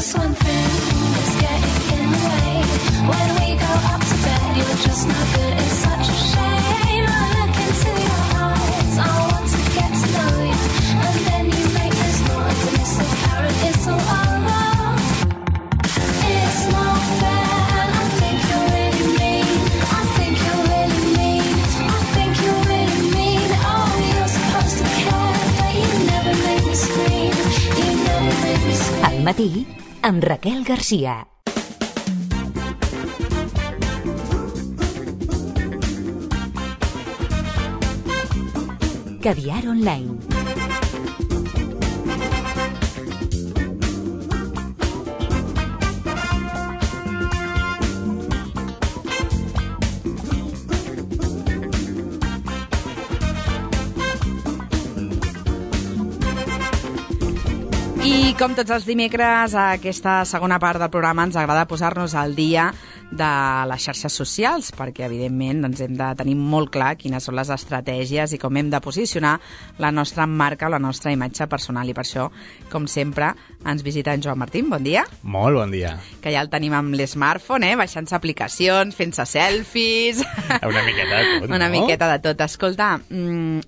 this one thing is getting in the way. When we go up to bed, you're just not good. It's such a shame. I look into your eyes. I want to get to know you, and then you make this noise, and it's so apparent it's all over. It's not fair. I think you're really mean. I think you're really mean. I think you're really mean. Oh, you're supposed to care, but you never make me scream. You never make me scream. Al matí, amb Raquel Garcia. Caviar Online. I com tots els dimecres, a aquesta segona part del programa ens agrada posar-nos al dia de les xarxes socials, perquè evidentment doncs, hem de tenir molt clar quines són les estratègies i com hem de posicionar la nostra marca, la nostra imatge personal. I per això, com sempre, ens visita en Joan Martín. Bon dia. Molt bon dia. Que ja el tenim amb l'smartphone, baixant-se aplicacions, fent-se selfies... Una miqueta de tot, Una miqueta de tot. Escolta,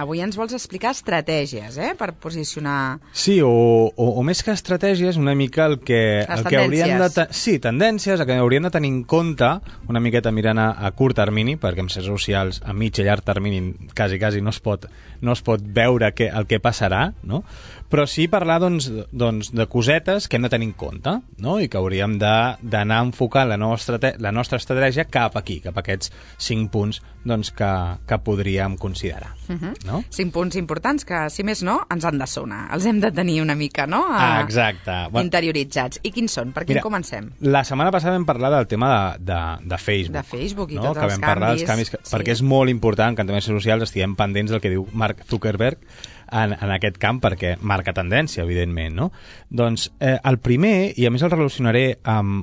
avui ens vols explicar estratègies, per posicionar... Sí, o més que estratègies, una mica el que haurien de... Sí, tendències, el que hauríem de tenir en compte una miqueta mirant a curt termini, perquè en xarxes socials a mig i llarg termini quasi no es pot veure el que passarà, no? Però sí parlar doncs, de cosetes que hem de tenir en compte, no? I que hauríem d'anar enfocant la nostra estratègia cap aquí, cap a aquests 5 punts doncs, que podríem considerar. No? 5 punts importants que, si més no, ens han de sonar. Els hem de tenir una mica, no? Exacte. Interioritzats. I quins són? Per quin comencem? La setmana passada vam parlar del tema de Facebook. De Facebook i no? tots que vam parlar dels canvis, perquè és molt important que en temes socials estiguem pendents del que diu Mark Zuckerberg en aquest camp, perquè marca tendència, evidentment, no? Doncs el primer, i a més el relacionaré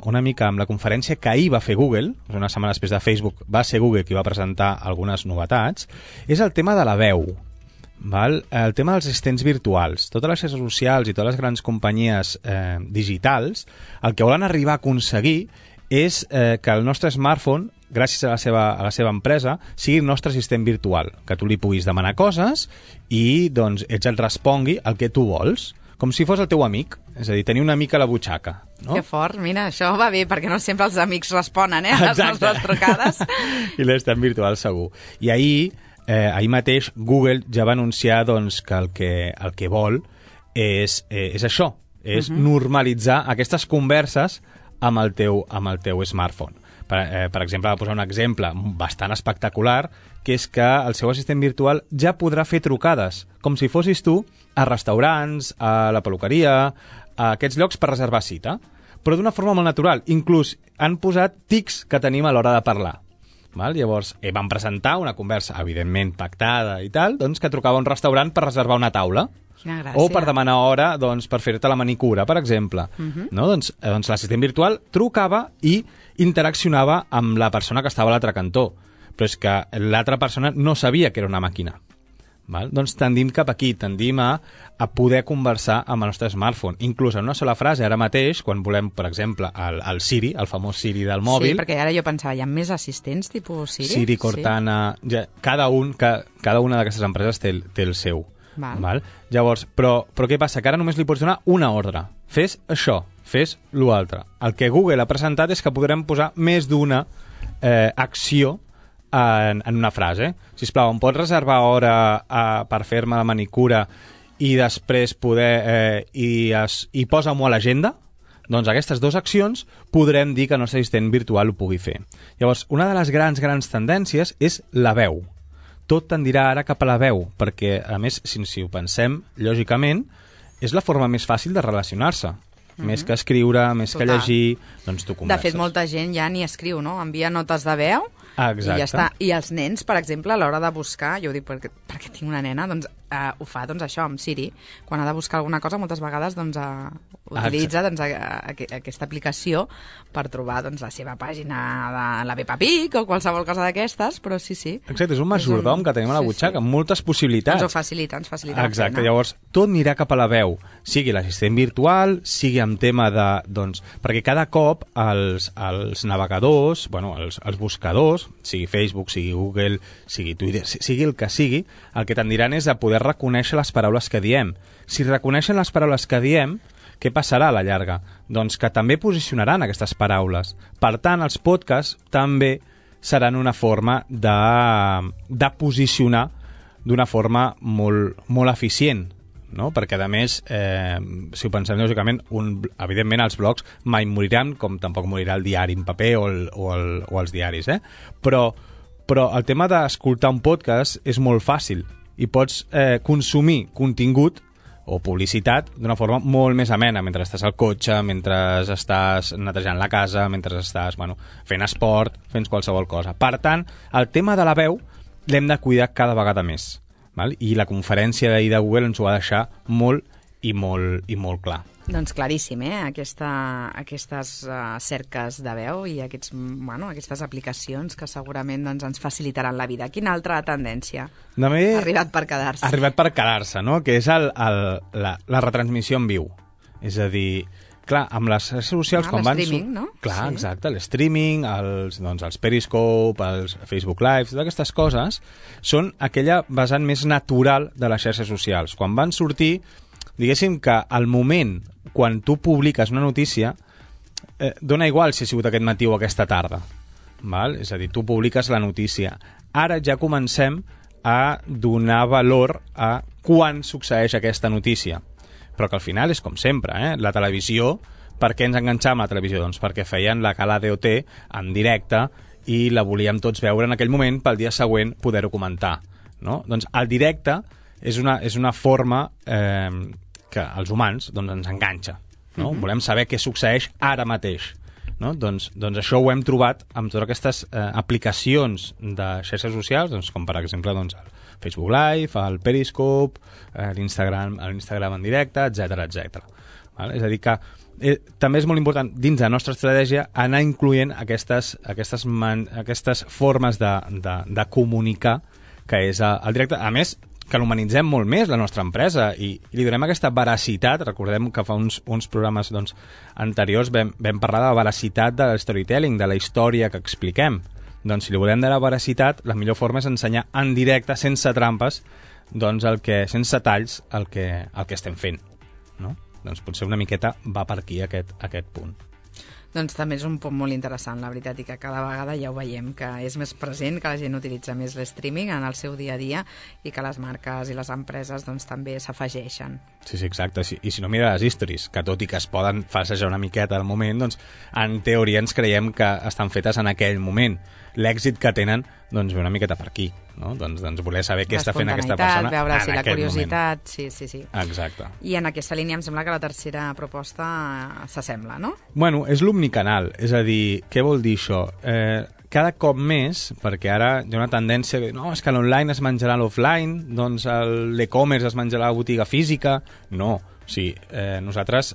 una mica amb la conferència que ahir va fer Google, una setmana després de Facebook va ser Google qui va presentar algunes novetats, és el tema de la veu. Val? El tema dels assistents virtuals. Totes les xarxes socials i totes les grans companyies digitals el que volen arribar a aconseguir és que el nostre smartphone, gràcies a la seva empresa, sigui el nostre assistent virtual, que tu li puguis demanar coses i doncs ells et respongui el que tu vols, com si fos el teu amic, és a dir, tenir un amic a la butxaca. No? Que fort, mira, això va bé, perquè no sempre els amics responen a les nostres trucades. I l'assistent virtual segur. I ahir mateix Google ja va anunciar doncs, que el que vol és això, és normalitzar aquestes converses amb el teu smartphone. Per exemple, va posar un exemple bastant espectacular, que és que el seu assistent virtual ja podrà fer trucades, com si fossis tu, a restaurants, a la peluqueria, a aquests llocs per reservar cita, però d'una forma molt natural. Inclús han posat tics que tenim a l'hora de parlar. Val? Llavors, van presentar una conversa, evidentment pactada i tal, doncs, que trucava a un restaurant per reservar una taula. O per demanar hora doncs, per fer-te la manicura, per exemple. No? Doncs l'assistent virtual trucava i interaccionava amb la persona que estava a l'altre cantó. Però és que l'altra persona no sabia que era una màquina. Val? Doncs tendim cap aquí, tendim a poder conversar amb el nostre smartphone. Inclús en una sola frase, ara mateix, quan volem, per exemple, el Siri, el famós Siri del mòbil... Sí, perquè ara jo pensava, hi ha més assistents tipus Siri? Siri, Cortana... Sí. Cada una d'aquestes empreses té el seu. Val? Llavors, però què passa? Que ara només li pots donar una ordre. Fes això, fes l'altre. El que Google ha presentat és que podrem posar més d'una acció en una frase. Sisplau, em pots reservar hora per fer-me la manicura i després poder... i posa-m'ho a l'agenda? Doncs aquestes dues accions podrem dir que el nostre assistent virtual ho pugui fer. Llavors, una de les grans tendències és la veu. Tot tendirà ara cap a la veu, perquè, a més, si ho pensem, lògicament, és la forma més fàcil de relacionar-se. Més que escriure, més que llegir, doncs tu converses. De fet, molta gent ja ni escriu, no? Envia notes de veu. Exacte. I ja està. I els nens, per exemple, a l'hora de buscar, jo ho dic perquè tinc una nena, doncs ho fa, doncs, això, amb Siri. Quan ha de buscar alguna cosa, moltes vegades doncs, utilitza doncs, aquesta aplicació per trobar doncs, la seva pàgina de la Peppa Pig o qualsevol cosa d'aquestes, però sí. Exacte, és un majordom que tenim a la butxaca, amb moltes possibilitats. Ens ho facilita Exacte, llavors tot anirà cap a la veu, sigui l'assistent virtual, sigui amb tema de... Doncs, perquè cada cop els navegadors, els buscadors, sigui Facebook, sigui Google, sigui Twitter, sigui el que sigui, el que tendiran és a poder reconèixer les paraules que diem. Si reconeixen les paraules que diem, què passarà a la llarga? Doncs que també posicionaran aquestes paraules. Per tant, els podcasts també seran una forma de posicionar d'una forma molt eficient, no? Perquè, a més, si ho pensem lògicament, evidentment els blogs mai moriran, com tampoc morirà el diari en paper o els diaris, però el tema d'escoltar un podcast és molt fàcil i pots consumir contingut o publicitat d'una forma molt més amena, mentre estàs al cotxe, mentre estàs netejant la casa, mentre estàs fent esport, fent qualsevol cosa. Per tant, el tema de la veu l'hem de cuidar cada vegada més. Val? I la conferència d'ahir de Google ens ho va deixar molt molt clar. Doncs claríssim, aquestes cerques de veu i aquestes aplicacions que segurament doncs, ens facilitaran la vida. Quina altra tendència ha arribat per quedar-se? Ha arribat per quedar-se, no? Que és la retransmissió en viu. És a dir, clar, amb les xarxes socials... l'streaming, no? Clar, sí. Exacte, l'streaming, els Periscope, els Facebook Live, totes aquestes coses són aquella vessant més natural de les xarxes socials. Quan van sortir, diguéssim que al moment quan tu publiques una notícia dona igual si ha sigut aquest matí o aquesta tarda, val? És a dir, tu publiques la notícia. Ara ja comencem a donar valor a quan succeeix aquesta notícia, però que al final és com sempre, la televisió, per què ens enganxàvem a la televisió? Doncs perquè feien la gala DOT en directe i la volíem tots veure en aquell moment pel dia següent poder-ho comentar, no? Doncs el directe és una forma que als humans ens enganxa, no? Volem saber què succeeix ara mateix, no? Doncs això ho hem trobat amb totes aquestes aplicacions de xarxes socials, com per exemple el Facebook Live, el Periscope, l'Instagram en directe, etc. És a dir que també és molt important dins de la nostra estratègia anar incloent aquestes formes de comunicar que és el directe. A més, que l'humanitzem molt més, la nostra empresa, i li donem aquesta veracitat. Recordem que fa uns programes anteriors vam parlar de la veracitat de storytelling, de la història que expliquem. Doncs si li volem donar veracitat, la millor forma és ensenyar en directe, sense trampes, sense talls, el que estem fent, no? Doncs potser una miqueta va per aquí aquest punt. Doncs també és un punt molt interessant, la veritat, i que cada vegada ja ho veiem, que és més present, que la gent utilitza més l'streaming en el seu dia a dia i que les marques i les empreses també s'afegeixen. Sí, exacte. I si no, mira les stories, que tot i que es poden falsejar una miqueta al moment, en teoria ens creiem que estan fetes en aquell moment. L'èxit que tenen ve una miqueta per aquí, no? Doncs voler saber què està fent aquesta persona veure si en la aquest curiositat, moment. Sí. Exacte. I en aquesta línia em sembla que la tercera proposta s'assembla, no? Bueno, és l'omnicanal, és a dir, què vol dir això? Cada cop més, perquè ara hi ha una tendència que no, és que l'online es menjarà l'offline, doncs l'e-commerce es menjarà la botiga física. No, o sigui, nosaltres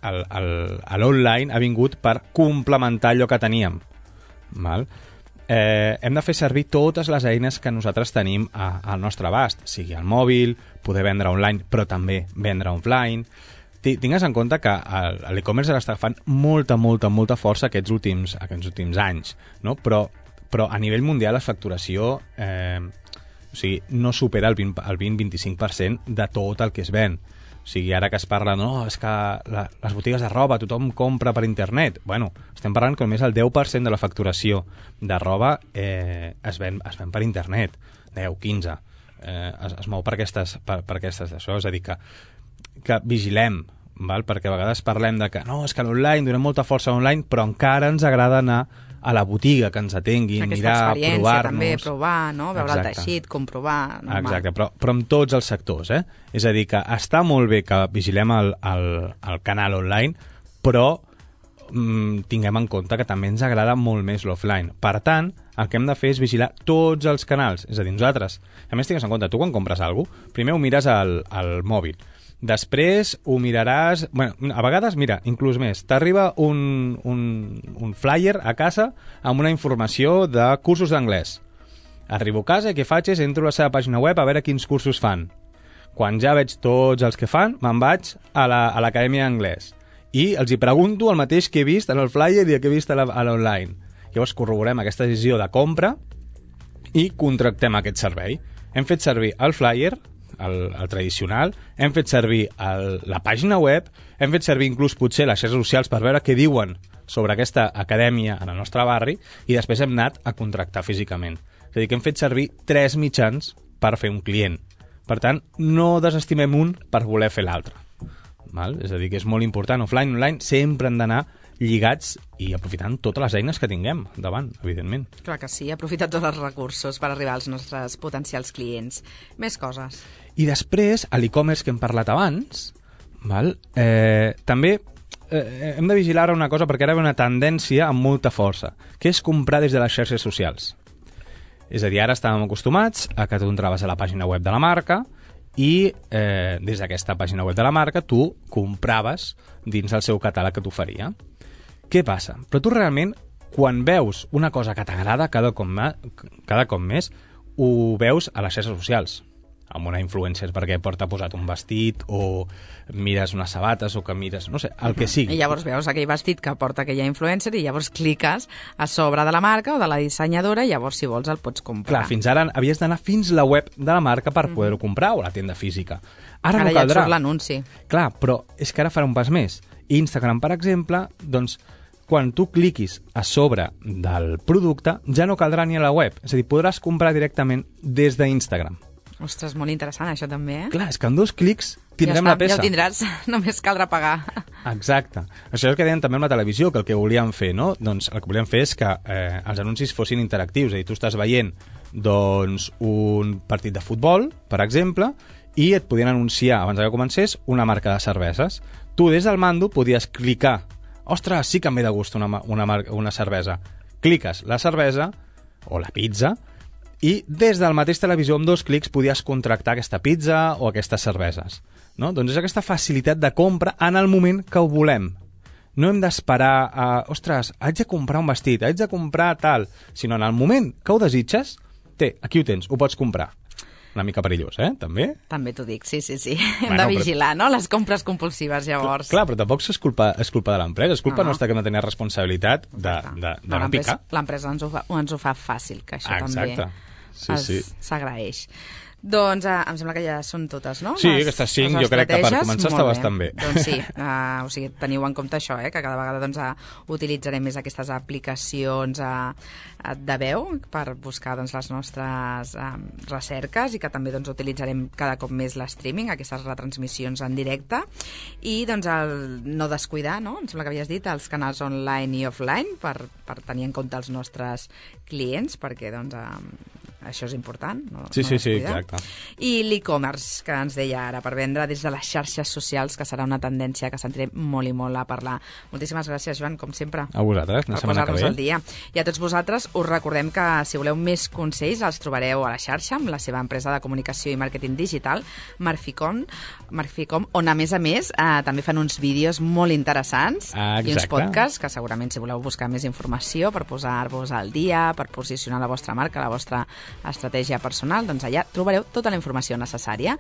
l'online ha vingut per complementar allò que teníem, val? Hem de fer servir totes les eines que nosaltres tenim al nostre abast, sigui el mòbil, poder vendre online, però també vendre offline. Tingues en compte que l'e-commerce està agafant molta força aquests últims anys, no? Però a nivell mundial la facturació no supera el 20-25% de tot el que es ven. O sigui, ara que es parla, no, és que les botigues de roba, tothom compra per internet. Bueno, estem parlant que només el 10% de la facturació de roba es ven per internet. 10, 15. Es mou per aquestes d'això. És a dir, que vigilem, val? Perquè a vegades parlem de que no, és que l'online, donem molta força a l'online, però encara ens agrada anar a la botiga, que ens atenguin, mirar, provar-nos. També, provar, no? Veure el teixit, comprovar. Normal. Exacte, però en tots els sectors, És a dir, que està molt bé que vigilem el canal online, però tinguem en compte que també ens agrada molt més l'offline. Per tant, el que hem de fer és vigilar tots els canals. És a dir, nosaltres, a més tingues en compte, tu quan compres alguna cosa, primer ho mires al mòbil. Després ho miraràs... Bueno, a vegades, mira, inclús més, t'arriba un flyer a casa amb una informació de cursos d'anglès. Arribo a casa i què faig és entro a la seva pàgina web a veure quins cursos fan. Quan ja veig tots els que fan, me'n vaig a l'acadèmia d'anglès. I els hi pregunto el mateix que he vist en el flyer i que he vist a l'online. Llavors corroborem aquesta decisió de compra i contractem aquest servei. Hem fet servir el flyer, el tradicional, hem fet servir la pàgina web, hem fet servir inclús potser les xarxes socials per veure què diuen sobre aquesta acadèmia en el nostre barri i després hem anat a contractar físicament. És a dir, que hem fet servir 3 mitjans per fer un client. Per tant, no desestimem un per voler fer l'altre. És a dir, que és molt important. Offline, online, sempre han d'anar lligats i aprofitant totes les eines que tinguem davant, evidentment. Clar que sí, aprofitar tots els recursos per arribar als nostres potencials clients. Més coses. I després, a l'e-commerce que hem parlat abans, també hem de vigilar una cosa perquè ara ve una tendència amb molta força, que és comprar des de les xarxes socials. És a dir, ara estàvem acostumats a que tu entraves a la pàgina web de la marca i des d'aquesta pàgina web de la marca tu compraves dins el seu catàleg que t'oferia. Què passa? Però tu realment, quan veus una cosa que t'agrada cada cop més, ho veus a les xarxes socials, amb una influencer perquè porta posat un vestit o mires unes sabates o que mires, no sé, el que sigui. I llavors veus aquell vestit que porta aquella influencer i llavors cliques a sobre de la marca o de la dissenyadora i llavors si vols el pots comprar. Clar, fins ara havies d'anar fins la web de la marca per poder-ho comprar o la tenda física. Ara no ja caldrà. et surt l'anunci. Clar, però és que ara farà un pas més. Instagram, per exemple, doncs quan tu cliquis a sobre del producte ja no caldrà ni a la web. És a dir, podràs comprar directament des d'Instagram. Ostres, molt interessant això també, Clar, és que en 2 clics tindrem la peça. Ja ho tindràs, només caldrà pagar. Exacte. Això és el que deien també amb la televisió, que el que volíem fer, no? Doncs el que volíem fer és que els anuncis fossin interactius, és a dir, tu estàs veient doncs, un partit de futbol, per exemple, i et podien anunciar, abans que comencés, una marca de cerveses. Tu des del mando podies clicar, ostres, sí que em ve de gust una cervesa. Cliques la cervesa o la pizza i des del mateix televisor amb 2 clics podies contractar aquesta pizza o aquestes cerveses. No? Doncs és aquesta facilitat de compra en el moment que ho volem. No hem d'esperar a, ostres, haig de comprar un vestit, haig de comprar tal, sinó en el moment que ho desitges, aquí ho tens, ho pots comprar. Una mica perillós, també? També t'ho dic, sí. Hem de vigilar, no?, les compres compulsives, llavors. Clar, però tampoc és culpa de l'empresa, és culpa nostra que no tenia responsabilitat de no picar. L'empresa ens ho fa fàcil, que això també s'agraeix. Doncs em sembla que ja són totes, no? Sí, aquestes 5 jo crec que per començar està bastant bé. Doncs sí, o sigui, teniu en compte això, que cada vegada doncs, utilitzarem més aquestes aplicacions de veu per buscar doncs, les nostres recerques i que també doncs, utilitzarem cada cop més l'streaming, aquestes retransmissions en directe i doncs, no descuidar, no? Em sembla que havies dit, els canals online i offline per tenir en compte els nostres clients perquè doncs, això és important. Sí, exacte. I l'e-commerce, que ens deia ara, per vendre des de les xarxes socials, que serà una tendència que sentirem molt i molt a parlar. Moltíssimes gràcies, Joan, com sempre. A vosaltres, la setmana que ve. Al dia. I a tots vosaltres us recordem que si voleu més consells els trobareu a la xarxa amb la seva empresa de comunicació i màrqueting digital, Marficom, on a més també fan uns vídeos molt interessants i uns podcasts que segurament si voleu buscar més informació per posar-vos al dia, per posicionar la vostra marca, la vostra estratègia personal, doncs allà trobareu tota la informació necessària.